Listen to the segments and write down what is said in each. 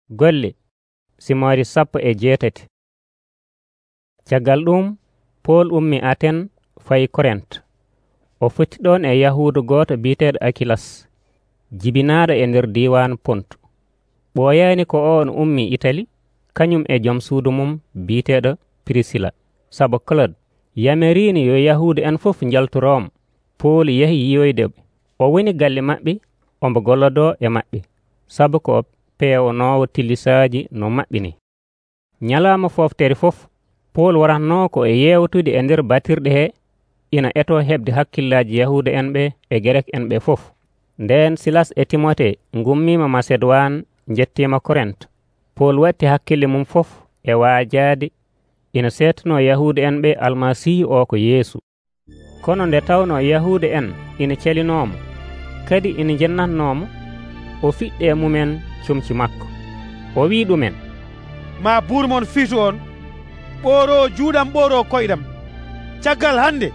Golle Simoori 18. Caggal ɗum Pool ummi Aten fayi Korent. O futti ɗon e Yahuudu gooto bi'eteeɗo Akilas, jibinaaɗo e nder diiwaan Pontu. Ɓooyaani ko o on ummi Itali, kañum e joom suudu mum bi'eteeɗo Pirisila, sabu Claude yamiriino yo Yahuudu en fof njaltu Room. Pool yahi yiyoyde ɓe. O woni galle maɓɓe ombo gollodoo e maɓɓe, sabu ko peewnoowo tillisaaji no maɓɓe ni. Nyalaama fooftere fof, Pool waratnoo ko e yeewtude e nder batirɗe hee, ina etoo heɓde hakkillaaji Yahuuda en ɓe e Gerek en ɓe fof. Ndeen Silas e Timote ngummiima Masedowaan njettiima Korent. Pool watti hakkille mum fof e waajaade ina seetanoo Yahuuda en ɓe Almasiihu o ko Yeesu. Kono nde tawnoo Yahuuda en ina calinoomo, kadi ina njennatnoomo, o fiɗɗi e mumen comci makko. O wii ɗumen, maa buur mon fiitu on ɓooroo juuɗam ɓooroo koyɗam. Caggal hannde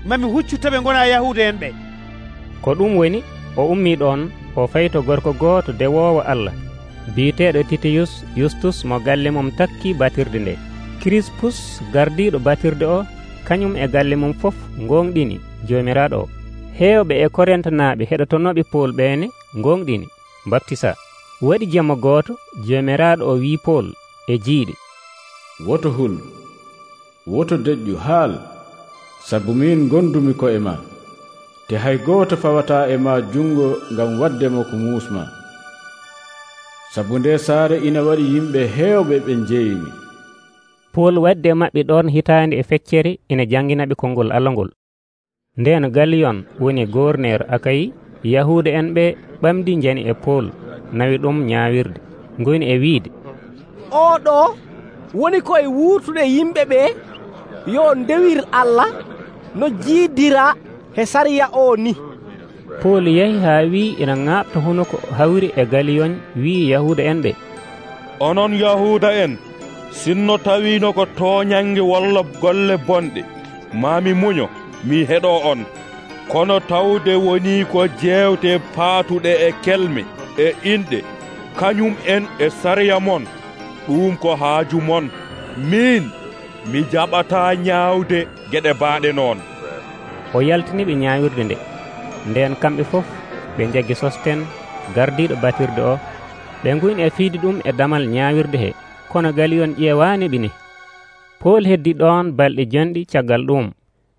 mami huccu taɓe ngonaa Yahuuda en ɓe. Ko ɗum woni o ummii ɗon o fayto gorko gooto dewoowo Allah bi'eteeɗo Titiyus Yustus mo galle mum takkii batirde nde. Kirispus gardiiɗo batirde o kañum e galle mum fof gonɗini joomiraaɗo o. Heewɓe e Korent naaɓe heɗotonooɓe Pool ɓeene gonɗini baptisa. Waɗi jamma gooto joomiraaɗo o wii Pool e jiiɗe, woto hul, woto deƴƴu haal, sabu min gondumi ko e ma, te hay gooto fawataa e ma jungo ngam waddemo ko muusma. Sabu nde saare ina waɗi yimɓe heewɓe ɓe njeeyimi. Pool wadde maɓɓe ɗon hitaande e feccere ina jannginaɓe konngol Allah ngol. Ndeen Galiyon woni gouverneur Akayi, Yahuuda en ɓe ɓamdi njani e Pool, nawi ɗum ñaawirde, ngoni e wiide, oɗo woni koye wuurtude yimɓe ɓe yo ndewir Allah no jiidira he sariya o ni. Pool yahi haa wii ina ŋaaɓta hono ko hawri e Galiyon wii Yahuuda en ɓe, onon Yahuuda en, sinno tawiino ko tooñange walla golle bonɗe, maami muño mi heɗoo on. Kono tawde woni ko jeewte paatuɗe e kelme e inɗe, kañum en e sariya mon, ɗum ko haaju mon. Min mi jaɓataa ñaawde geɗe baaɗe noon. O yaltini ɓe ñaawirde nde. Ndeen kamɓe fof ɓe njaggi Sosten gardiiɗo batirde o, ɓe nguyni e fiide ɗum e damal ñaawirde he, kono Galiyon ƴeewaani ɓe ni. Pool heddi ɗon balɗe jonɗi caggal ɗum,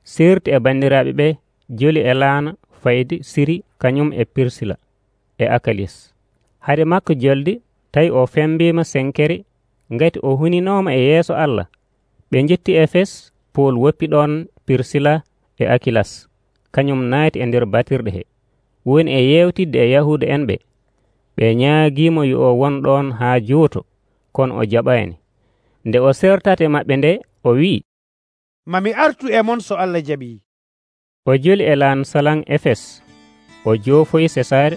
seerti e banndiraaɓe ɓe, joli e laana fayde Siri kañum e Pirsila e Akalis. Hade makko joldi tawi o fembiima senkere ngati o huninooma e yeeso Allah. Ɓe njetti Efes, Pool woppi ɗon Pirsila e Akilas, kañum naati e nder batirɗe he, woni e yewtidde e Yahuuda en ɓe. Ɓe ñaagiimo yo o won ɗon haa juuto, kono o jaɓaani. Nde o sertate maɓɓe nde, o wii, mami artu e mon so Allah jaɓii. O joli e laan salan Efes, o joofoyi Sesaare,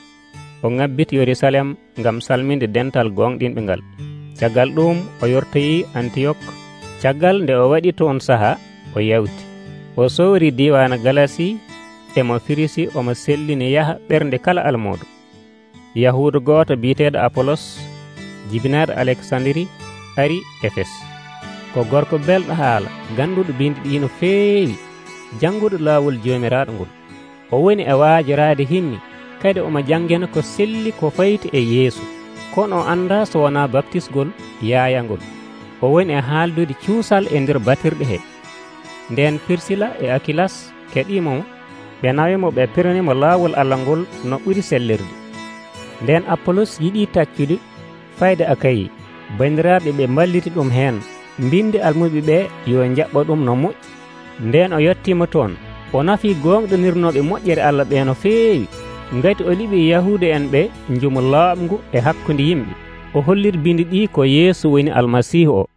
o ŋabbiti Yerusalem ngam salminde dental gonɗinɓe ngal. Caggal ɗum o yortoyi Antiyok. Caggal nde o waɗi toon saha, o yawti. O sowri diiwaana Galasi emo Firisi omo sellini yaha ɓernde kala almoodo. Yahuudu gooto bi'eteeɗo Apolos, jibinaaɗo Aleksandiri, ari Efes. Ko gorko belɗo haala, ganduɗo bindi ɗi no feewi, jannguɗo laawol joomiraaɗo ngol. O woni e waajiraade himmi, kadi omo janngena ko selli ko fayti e Yeesu, kono o anndaa so wonaa baptisgol yaayangol. O woni e haaldude cuusal e nder batirɗe he. Ndeen Pirsila e Akilas keɗiimo mo, ɓe nawimo ɓe pirnimo laawol Allah ngol no ɓuri sellirde. Ndeen Apolos yiɗii taccude fayde Akayi, banndiraaɓe ɓe mballiti ɗum heen, mbindi almuɓe ɓe yo jaɓɓa ɗum no moƴƴi. Ndeen o yettiima toon, o nafii gonɗonirnoɓe moƴƴere Allah ɓe no feewi, ngati o liɓi Yahuuda en ɓe njumu laaɓngu e hakkunde yimɓe. O holliri bindi ɗi ko Yeesu woni Almasiihu o.